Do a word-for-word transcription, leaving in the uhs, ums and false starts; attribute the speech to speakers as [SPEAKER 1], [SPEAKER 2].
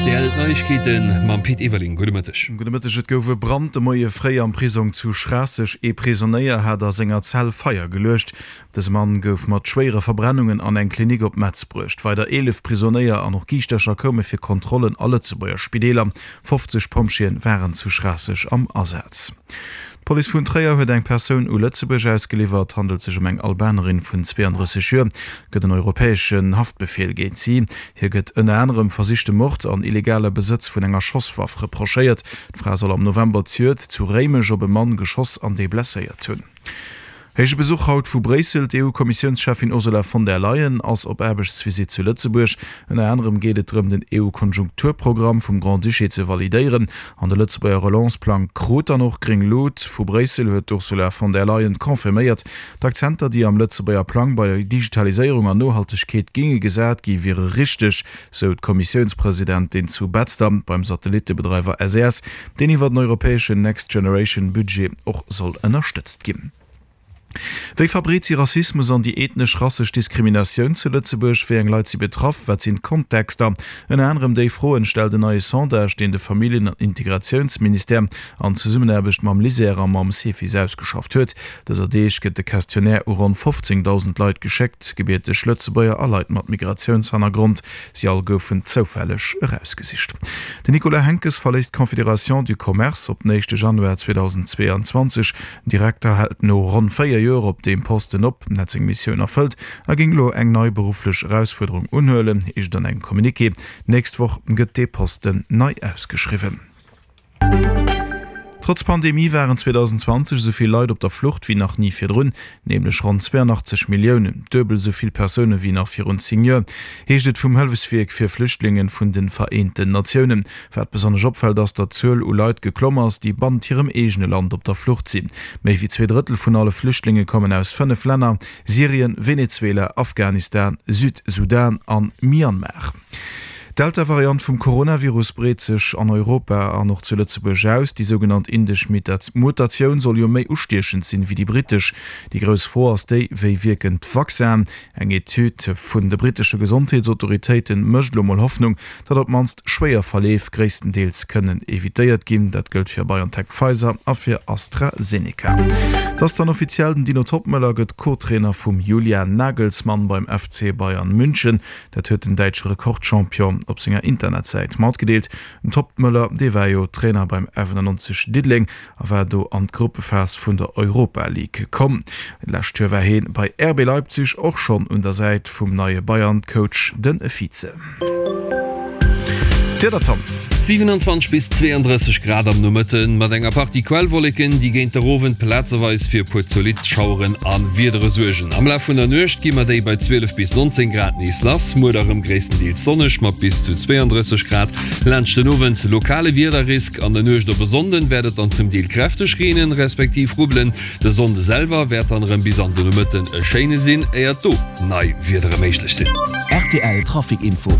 [SPEAKER 1] Rtl, D'Neiegkeete mam Pit Everling. Gudde Mëtteg.
[SPEAKER 2] Gudde Mëtteg. Et gouf e Brand de Moie fréi am Prisong zu Schraasseg. Ee Prisonéier hat a senger Zell Feier geluecht. Dëse Mann gouf mat schwéiere Verbrennungen an eng Klinik op Metz bruecht. Weider eelef Prisonéier an och Giischtercher koume fir Kontrollen a Lëtzebuerger Spideeler. fofzeg Pompjeeën waren zu Schraasseg am Asaz. D'Police vun Tréier huet eng Persoun u Lëtzebuerg ausgeliwwert. Et handelt sech ëm eng Albanerin vun zweeandrësseg Joer. Et gëtt en europäeschen Haftbefeel géint si. Hir gëtt ënner anerem versichte Mord an illegale Besëtz vun enger Schosswaff reprochéiert. D'Fra soll am November zejoert zu Réimech op e Mann geschoss an dee blesséiert hunn. Héije Besuch haut vu Bréissel, D'EU-Kommissiounscheffin Ursula von der Leyen ass op Aarbechtsvisitt zu Lëtzebuerg. Ënner anerem geet et drëm, den EU-Konjunkturprogramm vum Grand-Duché ze validéieren. An de Lëtzebuerger Relance-Plang krut dann och gréng Lut. Vu Bréissel huet d'Ursula von der Leyen confirméiert, d'Akzenter, déi am Lëtzebuerger Plang bei Digitaliséierung an Nohaltegkeet géinge gesat gi wiere richteg, sou d'Kommissiounspresidentin zu Betzder beim Satellittebedreiwer S E S, deen iwwer den europäeschen Next Generation Budget och soll ënnerstëtzt ginn. Wéi verbreet si Rassismus an déi ethnesch-rassesch Diskriminatioun zu Lëtzebuerg? Wéi eng Leit si betraff? Wat sinn d'Kontexter? Ënner anerem déi Froen stellt en neie Sondage, deen de Familljen an Integratiounsministère an Zesummenaarbecht mam LISER a mam Cefis ausgeschafft huet. Dëser Deeg gëtt de Questionnaire u ronn fofzéngdausend Leit geschéckt, gebierteg Lëtzebuerger a Leit mat Migratiounshannergrond. Si all goufen zoufälleg erausgesicht. Den Nicolas Henckes verléisst d'Confédération du Commerce op den éischte Januar zweedausendzweeanzwanzeg. Den Direkter hält no ronn véier Joer op deem Posten op, hätt seng Missioun erfëllt a géing elo eng nei berufflech Erausfuerderung unhuelen, heescht et an engem Communiqué. D'nächst Woch gëtt dee Posten nei ausgeschriwwen. Trotz Pandemie waren zweedausendzwanzeg esou vill Leit op der Flucht wéi nach ni virdrun, nämlech ronn zweeanachtzeg Milliounen, duebel esou vill Persoune wéi nach virun zéng Joer, heescht et vum Hëllefswierk fir Flüchtlinge vun de Vereenten Natiounen. Wat besonnesch opfält ass, datt d'Zuel u Leit geklomm ass, déi bannent hirem eegene Land op der Flucht sinn. Méi wéi zwee Drëttel vun alle Flüchtlinge kommen aus fënnef Länner, Syrien, Venezuela, Afghanistan, Südsudan an Myanmar. D'Delta-Variant vum Coronavirus breet sech an Europa an och zu Lëtzebuerg aus. Déi sougenannt indesch Mutatioun soll jo méi ustiechend sinn, wéi déi brittesch. Déi grouss Fro ass déi, Wéi wierken d'Vaccinen? Eng Etüd vun de brittesche Gesondheetsautoritéite mécht elo mol Hoffnung, datt op d'mannst schwéier Verleef gréisstendeels kënnen evitéiert ginn. Dat gëllt fir BioNTech-Pfizer a fir AstraZeneca. Et ass dann offiziell, Den Dino Toppmöller gëtt Co-Trainer vum Julian Nagelsmann beim F C Bayern München. Dat huet den däitsche Rekordchampion op senger Internetsäit matgedeelt. Den Toppmöller, dee war jo Trainer beim F ënnerennonzeg Diddeleng a war do an d'Gruppephas vun der Europa League komm. D'lescht Joer war hien bei R B Leipzig och schonn un der Säit vum neie Bayern-Coach, de Vize. D'Wieder, Tom.
[SPEAKER 1] siwenanzwanzeg bis zweeandrësseg Grad am Nomëtten, mat enger Partie Quellwolleken, déi géint der Owend plazeweis fir e puer zolidd Schaueren a Wiedere suergen. Am Laf vun der Nuecht gi mer déi bei zwielef bis nonzéng Grad nees lass. Muer da rëm gréisstendeels sonneg mat bis zu zweeandrësseg Grad. Laanscht den Owend lokale Wiederrisk. An der Nuecht op e Sonnden wäert et dann zum Deel kräfteg reenen, respektiv rubbelen. De Sonnde selwer wäert dann erëm bis an de Nomëtten e schéine sinn, éiert do nei Wiedere méiglech sinn.
[SPEAKER 3] R T L Trafic Info.